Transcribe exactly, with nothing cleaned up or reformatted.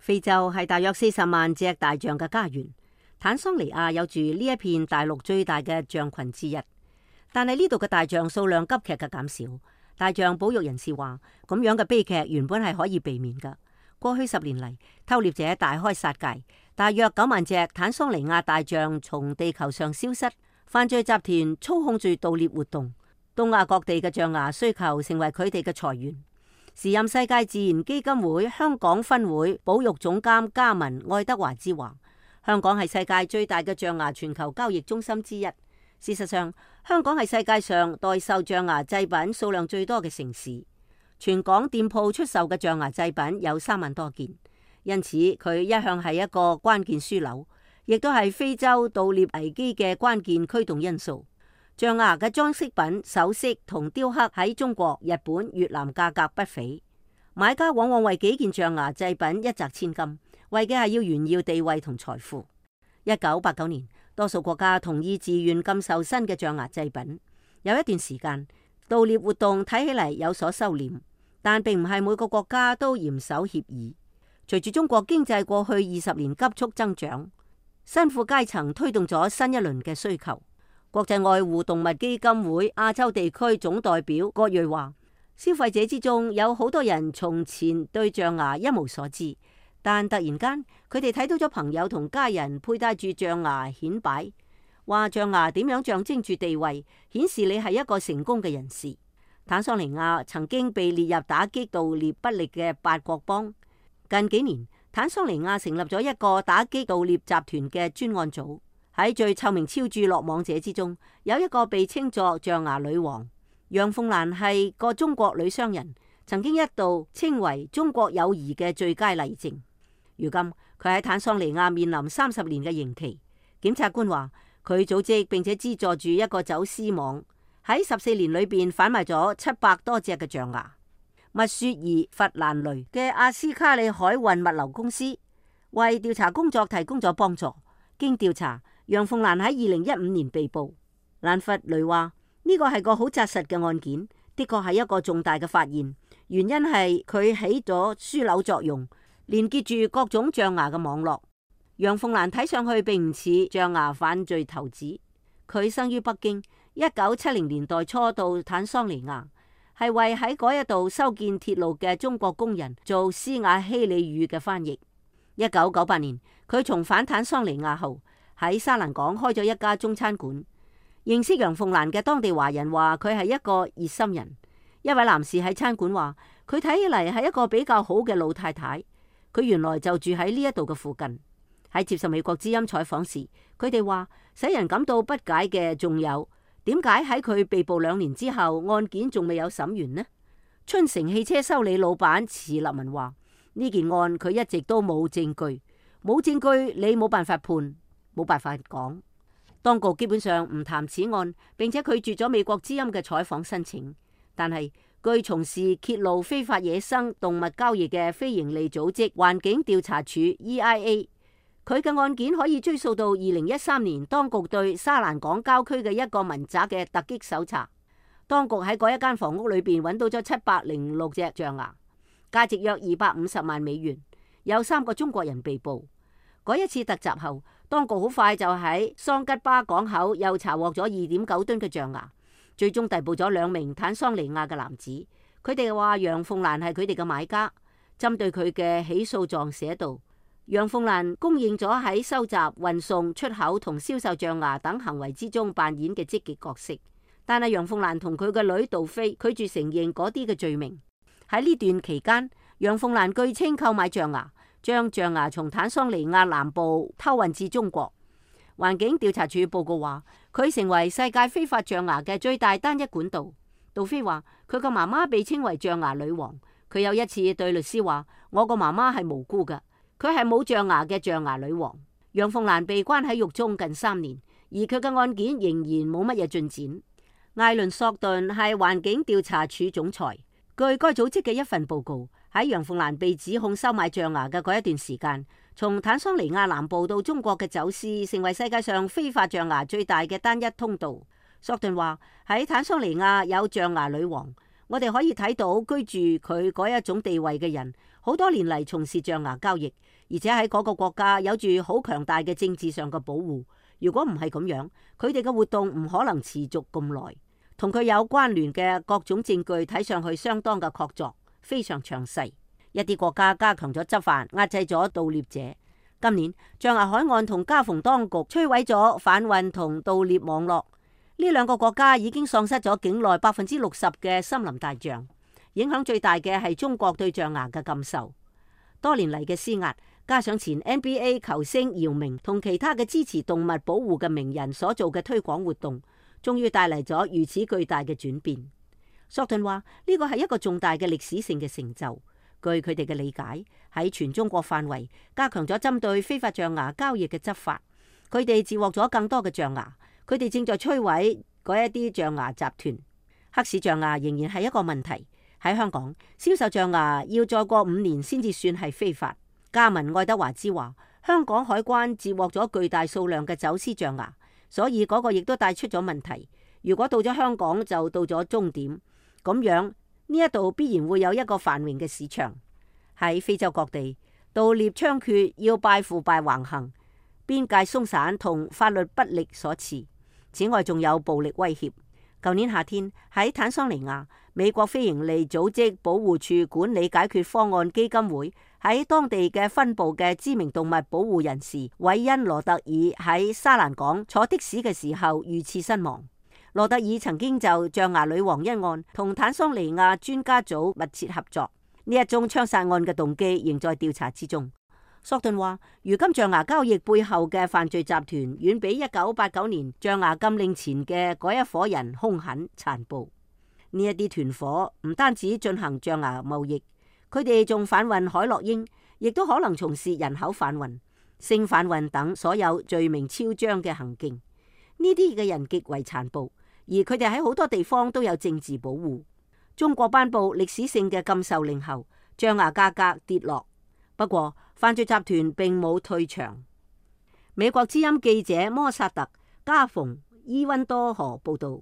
非洲係大約四十萬隻大象嘅家園，坦桑尼亞有住呢一片大陸最大嘅象群之一。但係呢度嘅大象數量急劇嘅減少。大象保育人士話，咁樣嘅悲劇原本係可以避免㗎。過去十年嚟，偷獵者大開殺戒，大約九萬隻坦桑尼亞大象從地球上消失。犯罪集團操控住盜獵活動，東亞各地嘅象牙需求成為佢哋嘅財源。時任世界自然基金會香港分會保育總監加文愛德華之話，香港係世界最大嘅象牙全球交易中心之一。事實上，香港係世界上代售象牙製品數量最多嘅城市，全港店鋪出售嘅象牙製品有三萬多件，因此佢一向係一個關鍵樞紐，亦都係非洲盜獵危機嘅關鍵驅動因素。象牙嘅裝飾品、首飾同雕刻喺中國、日本、越南價格不菲，買家往往為幾件象牙製品一擲千金，為嘅係要炫耀地位同財富。一九八九年，多數國家同意自願禁售新嘅象牙製品。有一段時間，盜獵活動睇起嚟有所收斂，但並唔係每個國家都嚴守協議。隨住中國經濟過去二十年急速增長，新富階層推動咗新一輪嘅需求。國際愛護動物基金會亞洲地區總代表郭瑞話，消費者之中有好多人從前對象牙一無所知，但突然間佢哋睇到咗朋友同家人佩戴住象牙顯擺，話象牙點樣象徵住地位，顯示你係一個成功嘅人士。坦桑尼亞曾經被列入打擊盜獵不力嘅八國邦。近幾年，坦桑尼亞成立咗一個打擊盜獵集團嘅專案組。喺最臭名昭著落網者之中，有一個被稱作象牙女王楊鳳蘭，係個中國女商人，曾經一度稱為中國友誼嘅最佳例證。如今佢喺坦桑尼亞面臨三十年嘅刑期。檢察官話佢組織並且資助住一個走私網，喺十四年裏邊販賣咗七百多隻嘅象牙。密雪兒弗蘭雷嘅阿斯卡里海運物流公司為調查工作提供咗幫助。經調查，楊鳳蘭喺二零一五年被捕。蘭弗雷話呢個係個好紮實嘅案件，的確係一個重大嘅發現。原因係佢起咗樞紐作用，連結住各種象牙嘅網絡。楊鳳蘭睇上去並唔似象牙犯罪頭子。佢生於北京，一九七零年代初到坦桑尼亞，係為喺嗰一度修建鐵路嘅中國工人做斯瓦希里語嘅翻譯。一九九八年，佢重返坦桑尼亞後，喺沙蘭港開咗一家中餐館。認識楊鳳蘭嘅當地華人話佢係一個熱心人。一位男士喺餐館話佢睇起嚟係一個比較好嘅老太太。佢原來就住喺呢一度嘅附近。喺接受美國之音採訪時，佢哋話使人感到不解嘅仲有點解喺佢被捕兩年之後，案件仲未有審完呢？春城汽車修理老闆池立文話呢件案佢一直都冇證據，冇證據你冇辦法判，冇辦法講。當局基本上唔談此案，並且拒絕咗美國之音嘅採訪申請。但係據從事揭露非法野生動物交易嘅非營利組織環境調查署 E I A， 佢嘅案件可以追溯到二零一三年當局對沙蘭港郊區嘅一個民宅嘅突擊搜查。當局喺嗰一間房屋裏邊揾到咗七百零六隻象牙，價值約二百五十萬美元。有三個中國人被捕。嗰一次突襲後，當局好快就喺桑吉巴港口又查獲咗二點九噸嘅象牙，最終逮捕咗兩名坦桑尼亞嘅男子。佢哋話楊鳳蘭係佢哋嘅買家。針對佢嘅起訴狀寫道，楊鳳蘭公認咗喺收集、運送、出口同銷售象牙等行為之中扮演嘅積極角色。但係楊鳳蘭同佢嘅女杜飛拒絕承認嗰啲嘅罪名。喺呢段期間，楊鳳蘭據稱購買象牙，將象牙從坦桑尼亞南部偷運至中國。環境調查署報告話，佢成為世界非法象牙嘅最大單一管道。杜飛話佢個媽媽被稱為象牙女王。佢有一次對律師話：我個媽媽係無辜㗎，佢係冇象牙嘅象牙女王。楊鳳蘭被關喺獄中近三年，而佢嘅案件仍然冇乜嘢進展。艾倫索頓係環境調查署總裁。據該組織嘅一份報告，喺楊鳳蘭被指控收買象牙嘅嗰一段時間，從坦桑尼亞南部到中國嘅走私成為世界上非法象牙最大嘅單一通道。索頓話喺坦桑尼亞有象牙女王，我哋可以睇到居住佢嗰一種地位嘅人，好多年嚟從事象牙交易，而且喺嗰個國家有住好強大嘅政治上嘅保護。如果唔係咁樣，佢哋嘅活動唔可能持續咁耐。同佢有關聯嘅各種證據睇上去相當嘅確鑿，非常詳細。一啲國家加強咗執法，壓制咗盜獵者。今年象牙海岸同加蓬當局摧毀咗販運同盜獵網絡。呢兩個國家已經喪失咗境內百分之六十嘅森林大象。影響最大嘅係中國對象牙嘅禁售。多年嚟嘅施壓，加上前 N B A 球星姚明同其他嘅支持動物保護嘅名人所做嘅推廣活動，終於帶嚟咗如此巨大嘅轉變。索頓話呢個係一個重大嘅歷史性嘅成就。據佢哋嘅理解，喺全中國範圍加強咗針對非法象牙交易嘅執法，佢哋截獲咗更多嘅象牙。佢哋正在摧毀嗰一啲象牙集團。黑市象牙仍然係一個問題。喺香港銷售象牙要再過五年先至算係非法。加文愛德華茲話，香港海關截獲咗巨大數量嘅走私象牙，所以嗰個亦都帶出咗問題。如果到咗香港就到咗終點，咁樣呢一度必然會有一個繁榮嘅市場。喺非洲各地盜獵猖獗，要拜腐敗橫行，邊界鬆散同法律不力所賜。此外，仲有暴力威脅。舊年夏天喺坦桑尼亞，美國非營利組織保護處管理解決方案基金會喺當地嘅分部嘅知名動物保護人士韋恩羅特爾喺沙蘭港坐的士嘅時候遇刺身亡。羅特爾曾經就象牙女王一案同坦桑尼亞專家組密切合作。呢一宗槍殺案嘅動機仍在調查之中。索頓話，如今象牙交易背後嘅犯罪集團遠比一九八九年象牙禁令前嘅嗰一夥人兇狠殘暴。呢一啲團夥唔單止進行象牙貿易，佢哋仲販運海洛因，亦都可能從事人口販運、性販運等所有罪名昭彰嘅行徑。呢啲嘅人極為殘暴，而佢哋喺好多地方都有政治保護。中國頒布歷史性嘅禁售令後，象牙價格跌落。不過，犯罪集團並冇退場。美國之音記者摩薩特·加蓬伊溫多河報道。